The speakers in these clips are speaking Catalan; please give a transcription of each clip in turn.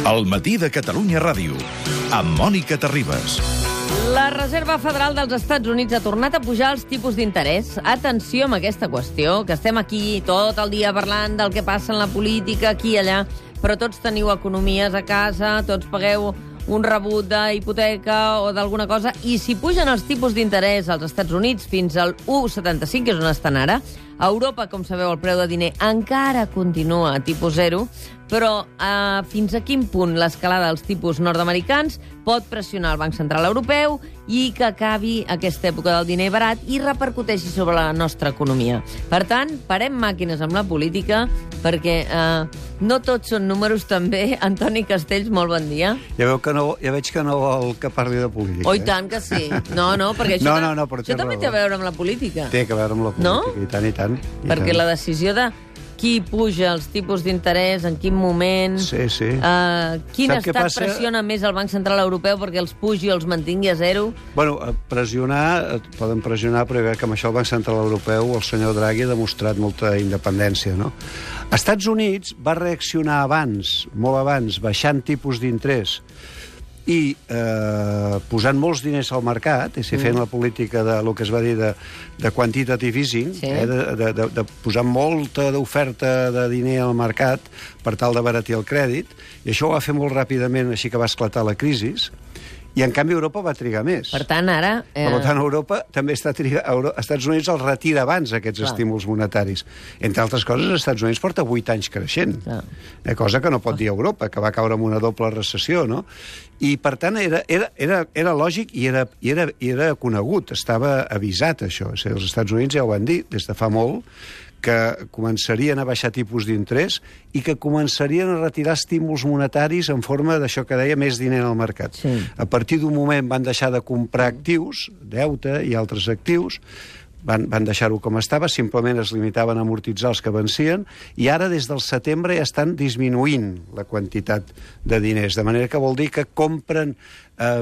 El matí de Catalunya Ràdio, amb Mònica Terribas. La Reserva Federal dels Estats Units ha tornat a pujar els tipus d'interès. Atenció amb aquesta qüestió, que estem aquí tot el dia parlant del que passa en la política, aquí i allà, però tots teniu economies a casa, tots pagueu un rebut d'hipoteca o d'alguna cosa, i si pugen els tipus d'interès als Estats Units fins al 1,75, que és on estan ara, a Europa, com sabeu, el preu de diner encara continua a tipus zero, però fins a quin punt l'escalada dels tipus nord-americans pot pressionar el Banc Central Europeu i que acabi aquesta època del diner barat i repercuteixi sobre la nostra economia. Per tant, parem màquines amb la política, perquè no tots són números també. Antoni Castells, molt bon dia. Ja veig que no vol que parli de política. Oh, i tant que sí. No, perquè això, això també té a veure amb la política. Té a veure amb la política, no? I tant, i tant. Perquè la decisió de qui puja els tipus d'interès, en quin moment... Sí. Quin estat pressiona més el Banc Central Europeu perquè els pugi o els mantingui a zero? Bueno, poden pressionar, però que amb això el Banc Central Europeu, el senyor Draghi, ha demostrat molta independència, no? Estats Units va reaccionar abans, molt abans, baixant tipus d'interès i posant molts diners al mercat, és a dir, fent la política del que es va dir de quantitative easing, sí. De posar molta d'oferta de diner al mercat per tal d'abaratir el crèdit, i això ho va fer molt ràpidament, així que va esclatar la crisi, i en canvi Europa va trigar més. Per tant, ara... Per tant, Europa també està trigant... Estats Units els retira abans, aquests estímuls monetaris. Entre altres coses, Estats Units porta 8 anys creixent. Cosa que no pot dir Europa, que va caure en una doble recessió, no? I, per tant, era lògic i era conegut. Estava avisat, això. O sigui, els Estats Units ja ho van dir des de fa molt, que començarien a baixar tipus d'interès i que començarien a retirar estímuls monetaris en forma d'això que deia més diner al mercat. Sí. A partir d'un moment van deixar de comprar actius, deute i altres actius, van deixar-ho com estava, simplement es limitaven a amortitzar els que vencien, i ara des del setembre ja estan disminuint la quantitat de diners, de manera que vol dir que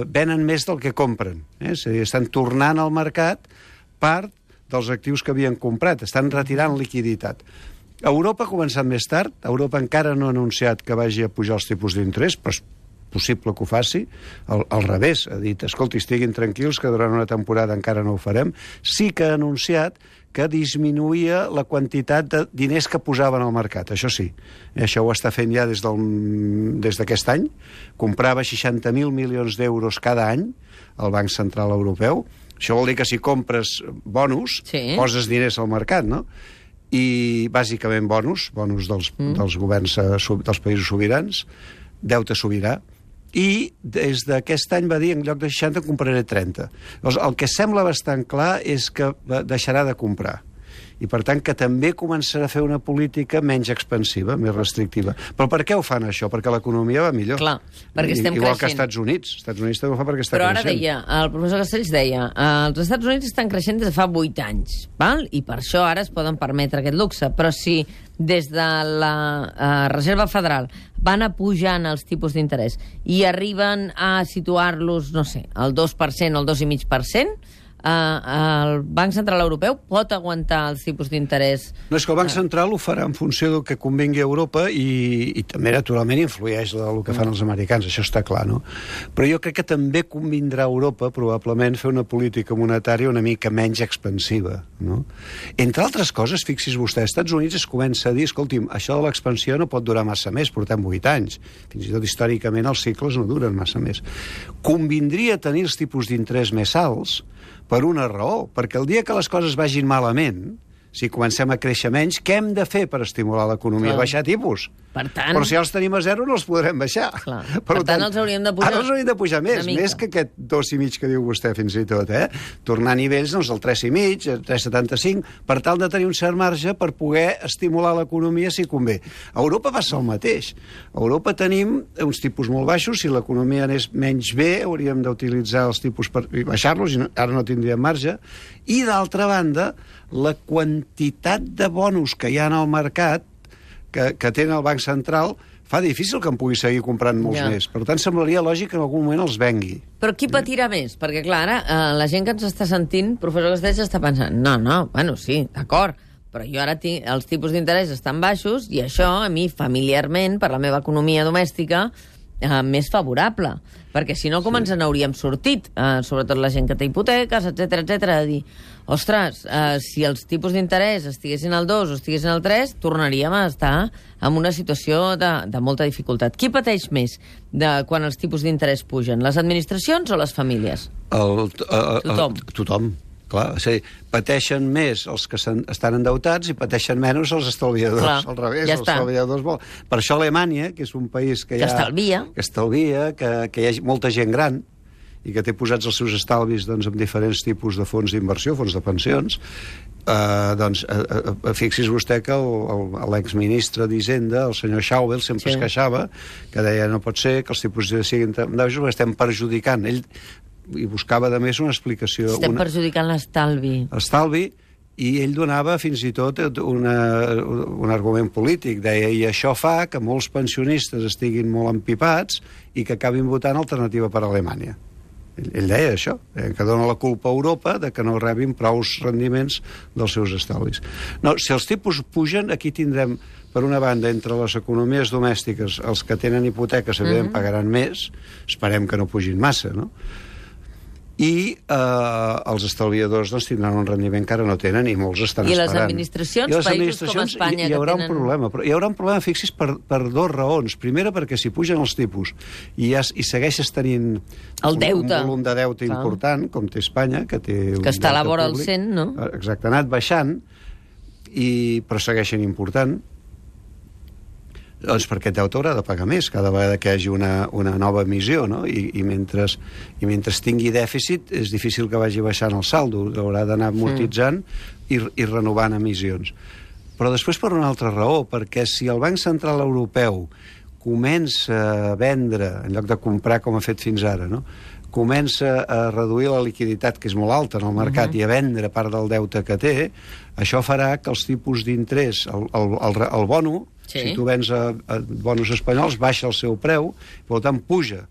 venen més del que compren. És a dir, estan tornant al mercat part dels actius que havien comprat, estan retirant liquiditat. Europa ha començat més tard, Europa encara no ha anunciat que vagi a pujar els tipus d'interès, però és possible que ho faci, al revés, ha dit, escolti, estiguin tranquils que durant una temporada encara no ho farem. Sí que ha anunciat que disminuïa la quantitat de diners que posaven al mercat, això sí. Això ho està fent ja des d'aquest any, comprava 60.000 milions d'euros cada any al Banc Central Europeu. Això vol dir que si compres bonus, poses diners al mercat, no? I bàsicament bonus dels governs dels països sobirans, deute sobirà, i des d'aquest any va dir, en lloc de 60 compraré 30. Llavors, el que sembla bastant clar és que deixarà de comprar. I, per tant, que també començarà a fer una política menys expansiva, més restrictiva. Però per què ho fan, això? Perquè l'economia va millor. Clar, perquè estem Igual creixent. que Estats Units. Estats Units també ho fa perquè està creixent. Però ara deia, el professor Castells deia, els Estats Units estan creixent des de fa 8 anys, val? I per això ara es poden permetre aquest luxe. Però si des de la Reserva Federal van a pujant els tipus d'interès i arriben a situar-los, no sé, al 2%, al 2,5%, el Banc Central Europeu pot aguantar els tipus d'interès? No, és que el Banc Central ho farà en funció del que convingui a Europa i també, naturalment, influeix el que fan els americans, això està clar, no? Però jo crec que també convindrà a Europa, probablement, fer una política monetària una mica menys expansiva, no? Entre altres coses, fixi's vostè, als Estats Units es comença a dir, escolti'm, això de l'expansió no pot durar massa més, portem 8 anys. Fins i tot, històricament, els cicles no duren massa més. Convindria tenir els tipus d'interès més alts per una raó, perquè el dia que les coses vagin malament, si comencem a créixer menys, què hem de fer per estimular l'economia? Baixar tipus. Per tant... Però si els tenim a zero no els podrem baixar. Per tant, els hauríem de pujar. Ara els hauríem de pujar més que aquest 2,5 que diu vostè fins i tot, tornar a nivells del 3,5, 3,75, per tal de tenir un cert marge per poder estimular l'economia si convé. A Europa passa el mateix. A Europa tenim uns tipus molt baixos, si l'economia anés menys bé, hauríem d'utilitzar els tipus per baixar-los, i ara no tindríem marge. I, d'altra banda, la quantitat de bonus que hi ha al mercat que té el Banc Central fa difícil que en pugui seguir comprant molts més. Per tant, semblaria lògic que en algun moment els vengui. Però qui patirà més? Perquè, clar, ara la gent que ens està sentint, professor Castells, està pensant, bueno, sí, d'acord, però jo ara els tipus d'interès estan baixos i això, a mi, familiarment, per la meva economia domèstica, més favorable. Perquè si no, com ens n'hauríem sortit? Sobretot la gent que té hipoteques, etc a dir, ostres, si els tipus d'interès estiguessin al 2 o estiguessin al 3, tornaríem a estar en una situació de molta dificultat. Qui pateix més quan els tipus d'interès pugen? Les administracions o les famílies? Tothom. Clar, pateixen més els que estan endeutats i pateixen menys els estalviadors. Clar, al revés, ja els estalviadors per això Alemanya, que és un país que estalvia, que hi ha molta gent gran i que té posats els seus estalvis doncs, en diferents tipus de fons d'inversió, fons de pensions, fixi's vostè que l'exministre d'Hisenda, el senyor Schäuble, sempre es queixava, que deia no pot ser que els tipus siguin tan baixos perquè estem perjudicant. Ell i buscava, a més, una explicació. Estem perjudicant l'estalvi. L'estalvi, i ell donava fins i tot un argument polític. Deia, i això fa que molts pensionistes estiguin molt empipats i que acabin votant alternativa per Alemanya. Ell deia això, que dona la culpa a Europa de que no rebin prous rendiments dels seus estalvis. No, si els tipus pugen, aquí tindrem, per una banda, entre les economies domèstiques, els que tenen hipoteques, evidentment, pagaran més, esperem que no pugin massa, no? I els estalviadors doncs, tindran un rendiment que ara no tenen i molts estan esperant. I les administracions, països com Espanya, hi haurà un problema, però hi haurà un problema, fixis, per dues raons. Primera, perquè si pugen els tipus i segueixes tenint un volum de deute important, com té Espanya, que té un que està a la vora del 100, no? Exacte, ha anat baixant, però segueixen important. Doncs perquè aquest deute haurà de pagar més cada vegada que hi hagi una nova emissió, no? I mentre tingui dèficit és difícil que vagi baixant el saldo, haurà d'anar amortitzant i renovant emissions. Però després per una altra raó, perquè si el Banc Central Europeu comença a vendre, en lloc de comprar com ha fet fins ara, no? Comença a reduir la liquiditat, que és molt alta en el mercat, i a vendre part del deute que té, això farà que els tipus d'interès, el bono, si tu vens a bonos espanyols, baixa el seu preu, per tant puja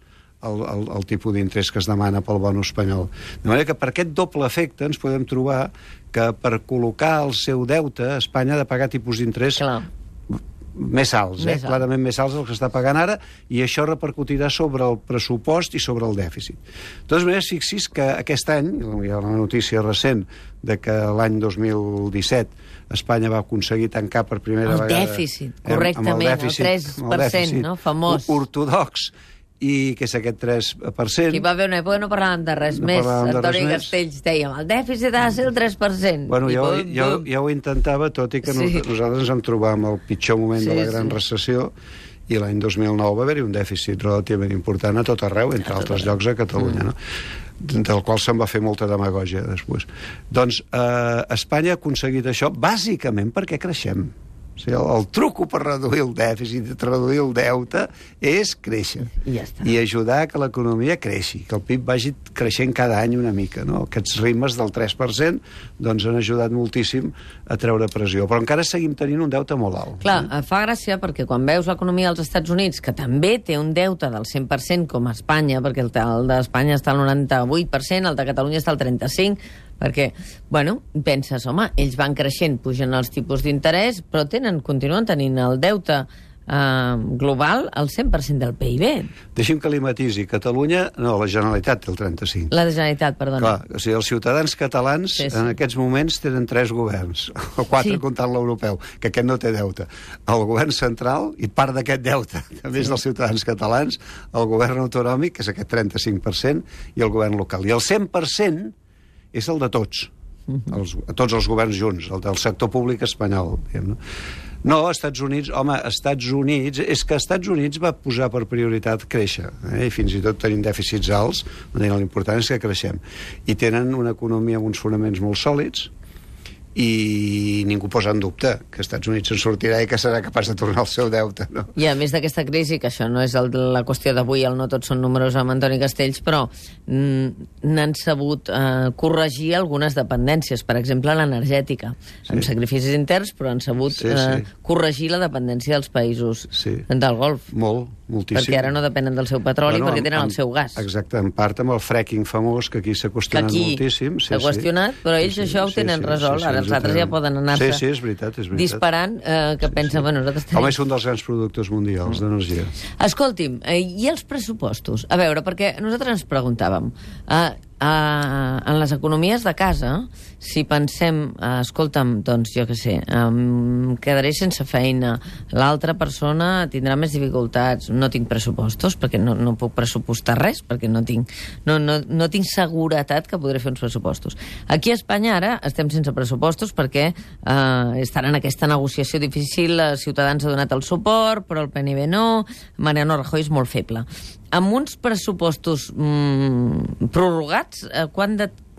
el tipus d'interès que es demana pel bono espanyol. De manera que per aquest doble efecte ens podem trobar que per col·locar el seu deute Espanya ha de pagar tipus d'interès més alts, clarament més alts del que està pagant ara, i això repercutirà sobre el pressupost i sobre el dèficit. De totes maneres, fixis que aquest any, hi ha una notícia recent de que l'any 2017 Espanya va aconseguir tancar per primera vegada... El dèficit, correctament, el 3%, no? Famós. Ortodox, i que és aquest 3%. Hi va haver una època que no parlàvem de res més. Antoni Castells dèiem, el dèficit ha de ser el 3%. Bueno, ja ho intentava, tot i que nosaltres ens vam trobar amb el pitjor moment de la gran recessió, i l'any 2009 va haver-hi un dèficit relativament important a tot arreu, entre altres llocs a Catalunya, no? Del qual se'n va fer molta demagògia després. Doncs Espanya ha aconseguit això bàsicament perquè creixem. O sigui, el truco per reduir el dèficit, reduir el deute, és créixer. I ajudar que l'economia creixi, que el PIB vagi creixent cada any una mica, no? Aquests ritmes del 3% doncs han ajudat moltíssim a treure pressió. Però encara seguim tenint un deute molt alt. Clar, fa gràcia perquè quan veus l'economia dels Estats Units, que també té un deute del 100% com a Espanya, perquè el d'Espanya està al 98%, el de Catalunya està al 35%, perquè, bueno, penses, home, ells van creixent, pugen els tipus d'interès, però continuen tenint el deute global al 100% del PIB. Deixi'm que li matisi. Catalunya, no, la Generalitat té el 35%. La Generalitat, perdona. Clar, o sigui, els ciutadans catalans en aquests moments tenen 3 governs, o 4 comptant l'europeu, que aquest no té deute. El govern central, i part d'aquest deute, també és dels ciutadans catalans, el govern autonòmic, que és aquest 35%, i el govern local. I el 100% és el de tots. Tots els governs junts, el del sector públic espanyol. No, Estats Units, home, és que Estats Units va posar per prioritat créixer, i fins i tot tenint dèficits alts, l'important és que creixem. I tenen una economia amb uns fonaments molt sòlids, i ningú posa en dubte que els Estats Units se'n sortirà i que serà capaç de tornar el seu deute, no? I a més d'aquesta crisi, que això no és la qüestió d'avui, el no tots són números amb Antoni Castells, però n'han sabut corregir algunes dependències, per exemple l'energètica, amb sacrificis interns, però han sabut corregir la dependència dels països del Golf. Moltíssim. Perquè ara no depenen del seu petroli, perquè tenen el seu gas. Exacte, en part amb el fracking famós, que aquí s'ha qüestionat moltíssim. S'ha qüestionat, però ells això ho tenen resolt. Ara els altres ja poden anar-se és veritat. disparant, que pensen... Bueno, nosaltres tenim... Home, és un dels grans productors mundials d'energia. Escolti'm, i els pressupostos? A veure, perquè nosaltres ens preguntàvem... en les economies de casa, si pensem, escolta'm, doncs jo què sé, quedaré sense feina, l'altra persona tindrà més dificultats, no tinc pressupostos, perquè no puc pressupostar res, perquè no tinc seguretat que podré fer uns pressupostos. Aquí a Espanya ara estem sense pressupostos perquè estan en aquesta negociació difícil, Ciutadans ha donat el suport, però el PNB no, Mariano Rajoy és molt feble. Amb uns pressupostos prorrogats,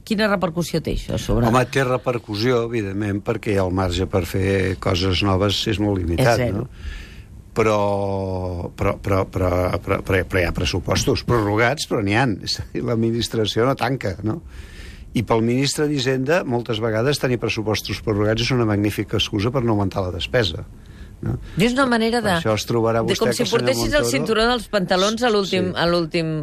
quina repercussió té això sobre... Home, té repercussió, evidentment, perquè el marge per fer coses noves és molt limitat, no? Però hi ha pressupostos prorrogats, però n'hi ha. L'administració no tanca, no? I pel ministre d'Hisenda, moltes vegades tenir pressupostos prorrogats és una magnífica excusa per no augmentar la despesa. No? És una manera de... Això es trobarà vostè, com si portessis el cinturó dels pantalons a l'últim...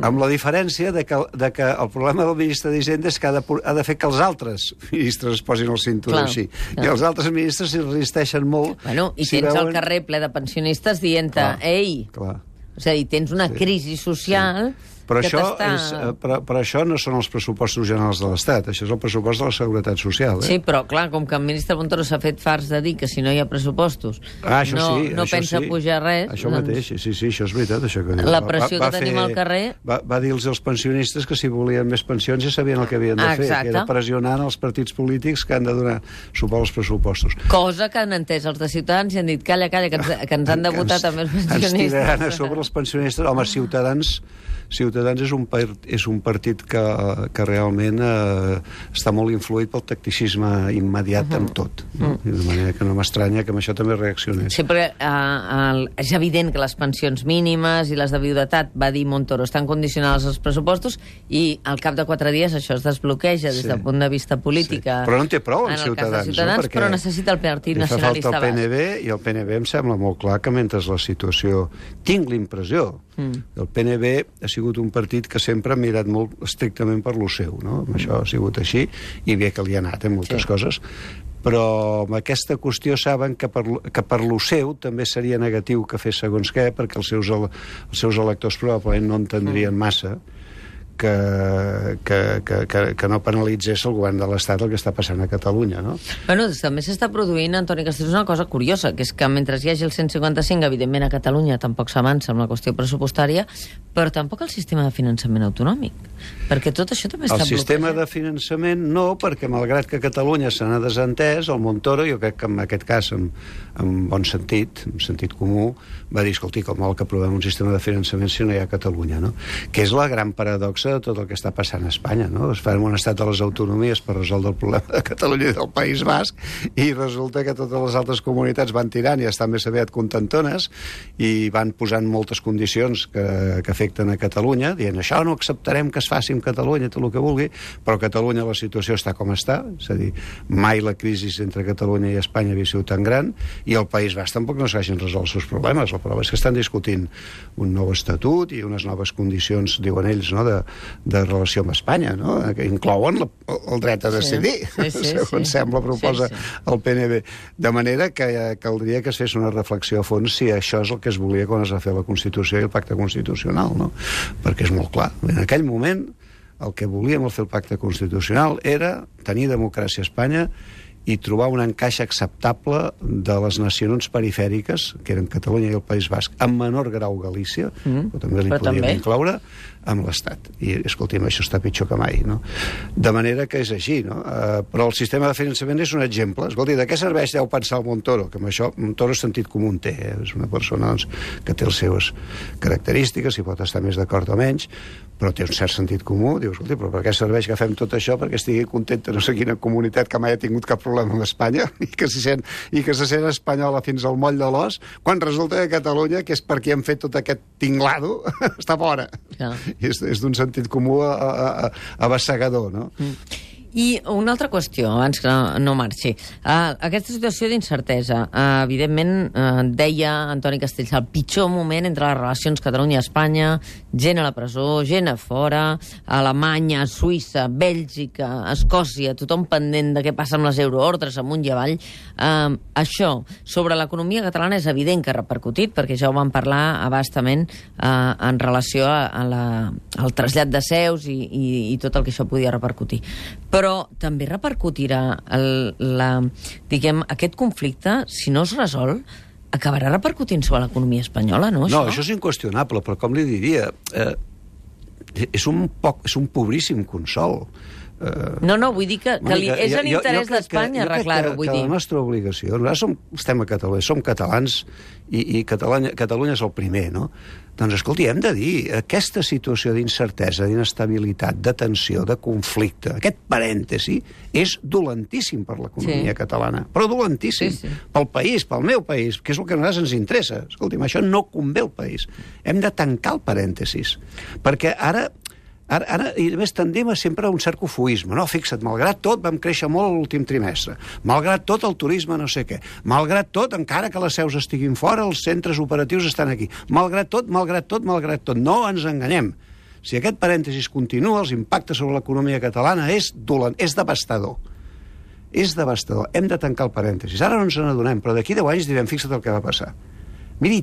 Amb la diferència de que el problema del ministre d'Hisenda és que ha de fer que els altres ministres es posin el cinturó així. I els altres ministres s'hi resisteixen molt. Bueno, i tens el carrer ple de pensionistes dient-te, ei... O sigui, tens una crisi social... Però això no són els pressupostos generals de l'Estat, això és el pressupost de la Seguretat Social. Sí, però clar, com que el ministre Montoro s'ha fet farts de dir que si no hi ha pressupostos no pensa pujar res... Això mateix, sí, això és veritat. Això que la pressió que tenim al carrer... Va dir als pensionistes que si volien més pensions ja sabien el que havien de fer, que era pressionant els partits polítics que han de donar suport als pressupostos. Cosa que han entès els de Ciutadans i han dit, calla, que ens han de votar també els pensionistes. Ens tiraran a sobre els pensionistes. Home, Ciutadans és un partit que realment està molt influït pel tacticisme immediat amb tot. De manera que no m'estranya que amb això també reaccionés. Sí, perquè és evident que les pensions mínimes i les de viudetat, va dir Montoro, estan condicionades als pressupostos i al cap de 4 dies això es desbloqueja des del punt de vista polític. Però no en té prou amb Ciutadans, però necessita el Partit Nacionalista Basc. Fa falta el PNB, i el PNB em sembla molt clar que mentre la situació... Tinc l'impressió el PNB ha sigut un partit que sempre ha mirat molt estrictament per lo seu, no? Això ha sigut així, i bé que li ha anat en moltes coses, però amb aquesta qüestió saben que per lo seu també seria negatiu que fes segons què, perquè els seus electors probablement no entendrien massa que no penalitzés el govern de l'Estat el que està passant a Catalunya, no? Bueno, també s'està produint, Antoni Castells, una cosa curiosa, que és que mentre hi hagi el 155, evidentment a Catalunya tampoc s'avança amb la qüestió pressupostària, però tampoc el sistema de finançament autonòmic, perquè tot això també està bloquejat. El sistema de finançament no, perquè malgrat que Catalunya se n'ha desentès, el Montoro, jo crec que en aquest cas, en bon sentit, en sentit comú, va dir, escolti, com vol que aprovem un sistema de finançament si no hi ha Catalunya, no? Que és la gran paradoxa de tot el que està passant a Espanya, no? Es fa un estat de les autonomies per resoldre el problema de Catalunya i del País Basc, i resulta que totes les altres comunitats van tirant i estan més aviat contentones i van posant moltes condicions que afecten a Catalunya, dient això no acceptarem que es faci amb Catalunya, tot el que vulgui, però a Catalunya la situació està com està, és a dir, mai la crisi entre Catalunya i Espanya havia sigut tan gran, i el País Basc tampoc no s'hagin resolt els seus problemes. La prova és que estan discutint un nou estatut i unes noves condicions, diuen ells, no?, de relació amb Espanya, no?, que inclouen el dret a decidir, segons sembla proposa el PNB. De manera que caldria que es fes una reflexió a fons si això és el que es volia quan es va fer la Constitució i el Pacte Constitucional, no? Perquè és molt clar. En aquell moment el que volíem al fer el Pacte Constitucional era tenir democràcia a Espanya i trobar un encaix acceptable de les nacions perifèriques, que eren Catalunya i el País Basc, en menor grau Galícia, però també li podíem incloure, amb l'Estat. I, escolti'm, això està pitjor que mai, no? De manera que és així, no? Però el sistema de finançament és un exemple. Escolti, de què serveix deu pensar el Montoro? Que amb això, Montoro sentit comú en té, és una persona doncs, que té les seves característiques, i pot estar més d'acord o menys, però té un cert sentit comú. Diu, escolti, però per què serveix que fem tot això? Perquè estigui contenta no sé quina comunitat que mai ha tingut cap problema amb Espanya i que se sent espanyola fins al moll de l'os, quan resulta que Catalunya, que és per qui han fet tot aquest tinglado, està fora. I és d'un sentit comú avassegador, no? I una altra qüestió, abans que no marxi. Aquesta situació d'incertesa, evidentment, deia Antoni Castells, el pitjor moment entre les relacions Catalunya-Espanya, gent a la presó, gent a fora, Alemanya, Suïssa, Bèlgica, Escòcia, tothom pendent de què passa amb les euroordres amunt i avall. Això, sobre l'economia catalana, és evident que ha repercutit, perquè ja ho vam parlar abastament en relació al trasllat de seus i tot el que això podia repercutir. Però també repercutirà aquest conflicte, si no es resol, acabarà repercutint sobre l'economia espanyola, no? No, això és inqüestionable, però com li diria, és un pobríssim consol. No, vull dir que és en interès d'Espanya arreglar-ho, vull dir. La nostra obligació, nosaltres estem a Catalunya, som catalans i Catalunya és el primer, no? Doncs, escolti, hem de dir, aquesta situació d'incertesa, d'inestabilitat, de tensió, de conflicte, aquest parèntesi, és dolentíssim per l'economia catalana, però dolentíssim. Pel país, pel meu país, que és el que a nosaltres ens interessa. Escolti'm, això no convé al país. Hem de tancar el parèntesis, perquè ara, i a més, tendim sempre a un cert cofoisme. No, fixa't, malgrat tot, vam créixer molt l'últim trimestre. Malgrat tot, el turisme no sé què. Malgrat tot, encara que les seus estiguin fora, els centres operatius estan aquí. Malgrat tot. No ens enganyem. Si aquest parèntesis continua, els impactes sobre l'economia catalana és devastador. És devastador. Hem de tancar el parèntesis. Ara no ens n'adonem, però d'aquí 10 anys direm, fixa't el que va passar. Miri,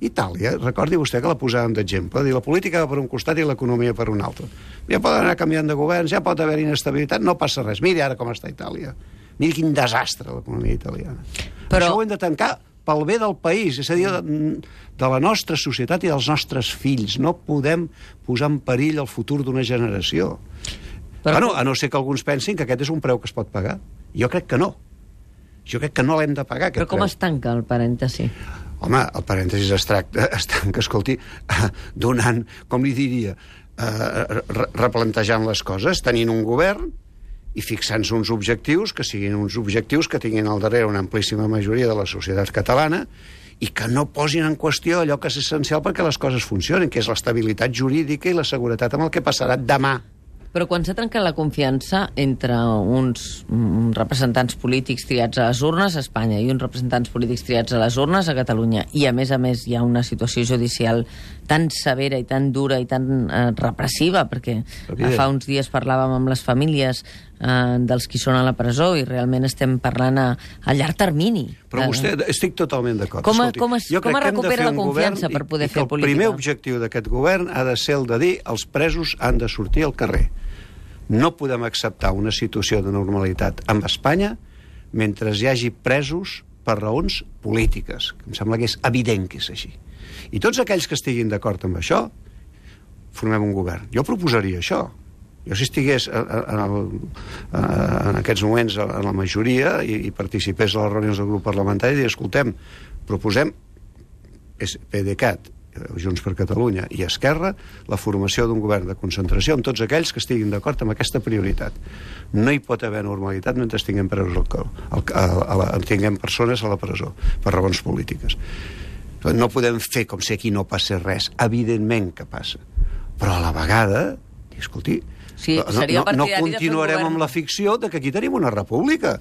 Itàlia, recordi vostè que la posàvem d'exemple, la política va per un costat i l'economia per un altre. Ja poden anar canviant de governs, ja pot haver inestabilitat, no passa res. Miri ara com està Itàlia. Miri quin desastre l'economia italiana. Però això ho hem de tancar pel bé del país, és a dir, de la nostra societat i dels nostres fills. No podem posar en perill el futur d'una generació. Bueno, a no ser que alguns pensin que aquest és un preu que es pot pagar. Jo crec que no. Jo crec que no l'hem de pagar, aquest preu. Però com es tanca el parèntesi? Home, el parèntesis es tanca, escolti, donant, com li diria, replantejant les coses, tenint un govern i fixant-se uns objectius que siguin uns objectius que tinguin al darrere una amplíssima majoria de la societat catalana i que no posin en qüestió allò que és essencial perquè les coses funcionin, que és l'estabilitat jurídica i la seguretat amb el que passarà demà. Però quan s'ha trencat la confiança entre uns representants polítics triats a les urnes a Espanya i uns representants polítics triats a les urnes a Catalunya, i a més hi ha una situació judicial tan severa i tan dura i tan repressiva, perquè fa uns dies parlàvem amb les famílies dels qui són a la presó i realment estem parlant a llarg termini. Però vostè, estic totalment d'acord. Com es recupera la confiança per poder fer política? El primer objectiu d'aquest govern ha de ser el de dir els presos han de sortir al carrer. No podem acceptar una situació de normalitat amb Espanya mentre hi hagi presos per raons polítiques. Em sembla que és evident que és així. I tots aquells que estiguin d'acord amb això, formem un govern. Jo proposaria això. Jo, si estigués en aquests moments en la majoria i participés a les reunions del grup parlamentari, diria, escoltem, proposem PDeCAT, Junts per Catalunya i Esquerra, la formació d'un govern de concentració amb tots aquells que estiguin d'acord amb aquesta prioritat. No hi pot haver normalitat mentre tinguem persones a la presó per raons polítiques. No podem fer com si aquí no passés res. Evidentment que passa. Però a la vegada, escolti, no continuarem amb la ficció de que aquí tenim una república.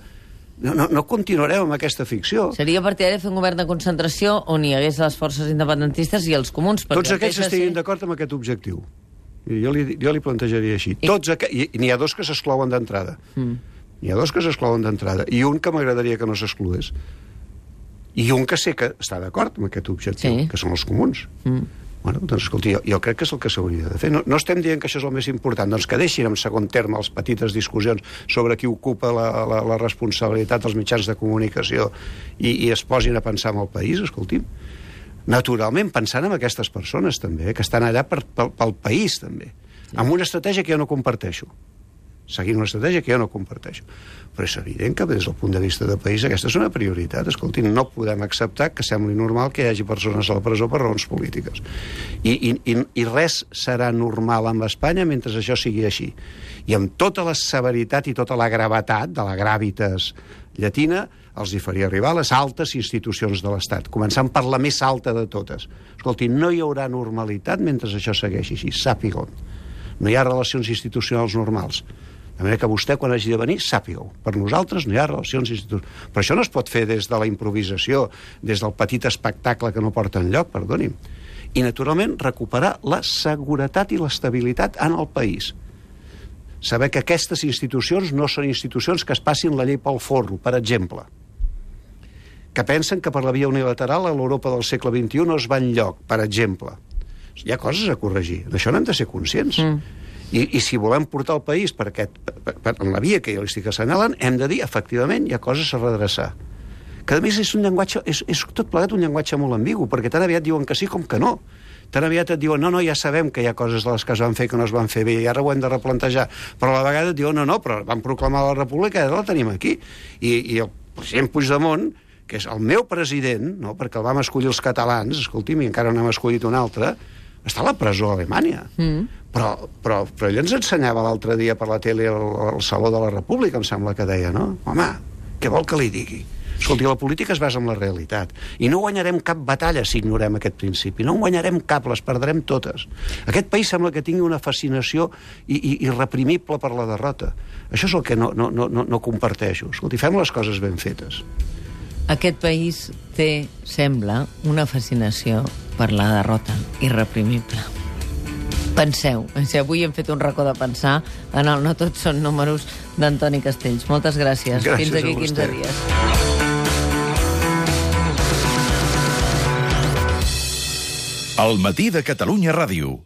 No continuarem amb aquesta ficció. Seria partidari fer un govern de concentració on hi hagués les forces independentistes i els comuns. Tots aquells que estiguin d'acord amb aquest objectiu. Jo li plantejaria així. I n'hi ha dos que s'exclouen d'entrada. N'hi ha dos que s'exclouen d'entrada. I un que m'agradaria que no s'excloés. I un que sé que està d'acord amb aquest objectiu, que són els comuns. Bueno, doncs, escolti, jo crec que és el que s'hauria de fer. No estem dient que això és el més important, doncs que deixin en segon terme les petites discussions sobre qui ocupa la responsabilitat dels mitjans de comunicació i es posin a pensar en el país, escolti'm. Naturalment, pensant en aquestes persones, també, que estan allà pel país, també. Amb una estratègia que jo no comparteixo. Seguint una estratègia que jo no comparteixo. Però és evident que des del punt de vista del país aquesta és una prioritat. Escolti, no podem acceptar que sembli normal que hi hagi persones a la presó per raons polítiques. I res serà normal amb Espanya mentre això sigui així. I amb tota la severitat i tota la gravetat de la gravitas llatina els hi faria arribar a les altes institucions de l'Estat, començant per la més alta de totes. Escolti, no hi haurà normalitat mentre això segueixi així, sàpiga-ho. No hi ha relacions institucionals normals. De manera que vostè, quan hagi de venir, sàpiga-ho. Per nosaltres no hi ha relacions institucionals. Però això no es pot fer des de la improvisació, des del petit espectacle que no porta enlloc, perdoni'm. I, naturalment, recuperar la seguretat i l'estabilitat en el país. Saber que aquestes institucions no són institucions que es passin la llei pel forro, per exemple. Que pensen que per la via unilateral a l'Europa del segle XXI no es va enlloc, per exemple. Hi ha coses a corregir. D'això n'hem de ser conscients. I si volem portar el país en la via que jo li estic assenyalant, hem de dir, efectivament, hi ha coses a redreçar. Que, a més, és un llenguatge, és tot plegat un llenguatge molt ambigu, perquè tan aviat diuen que sí com que no. Tan aviat et diuen, no, ja sabem que hi ha coses de les que es van fer que no es van fer bé, i ara ho hem de replantejar. Però a la vegada et diuen, no, però van proclamar la república i ara la tenim aquí. I el president Puigdemont, que és el meu president, no, perquè el vam escollir els catalans, escolti'm, i encara no hem escollit un altre, està a la presó a Alemanya. Però ell ens ensenyava l'altre dia per la tele al Saló de la República, em sembla que deia, no? Home, què vol que li digui? Escolti, la política es basa en la realitat. I no guanyarem cap batalla si ignorem aquest principi. No en guanyarem cap, les perdrem totes. Aquest país sembla que tingui una fascinació irreprimible per la derrota. Això és el que no comparteixo. Escolti, fem les coses ben fetes. Aquest país té, sembla, una fascinació per la derrota irreprimible. Penseu, si avui hem fet un racó de pensar en el No tots són números d'Antoni Castells. Moltes gràcies. Gràcies Fins aquí 15 dies. El matí de Catalunya Ràdio.